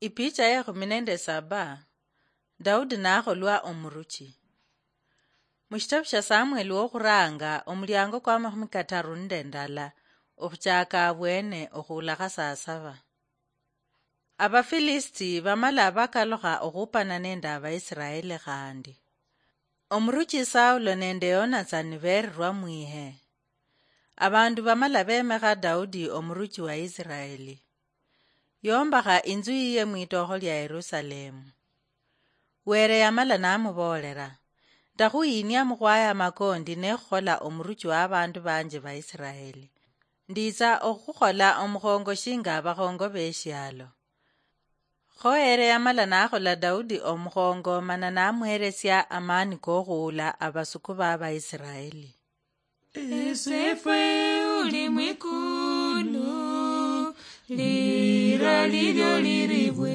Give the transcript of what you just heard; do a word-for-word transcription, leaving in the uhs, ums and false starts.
Ipicha ya ekhumi nende saba. Daudi nakholwa omuruchi. Mushitabu shia Samueli wokhuranga, omuliango kwa makhumi kataru nende ndala, okhuchaka abwene okhulakha saa saba. Abafilisiti bamala bakalukha okhupana nende Abaisiraeli khandi. Omuruchi Saulo nende Yonatsani berirwa mwihe. Abandu bamala bemekha Daudi omuruchi wa Isiraeli. Yombakha inzu yiye mwitookho lia Yerusalemu. Were yamala namuboolera, "Ndakhuyinia mukhwaya amakondi nekhukhola omuruchi wa abandu banje Baisiraeli. Nditsa okhukhola omukhongo shinga abakhongo beshialo." Kho ere yamala nakhola Daudi omukhongo mana namuheresia amani kokhuula abasuku ba Baisiraeli. Esefwe uli mwikulu, lira lilyo liribwe.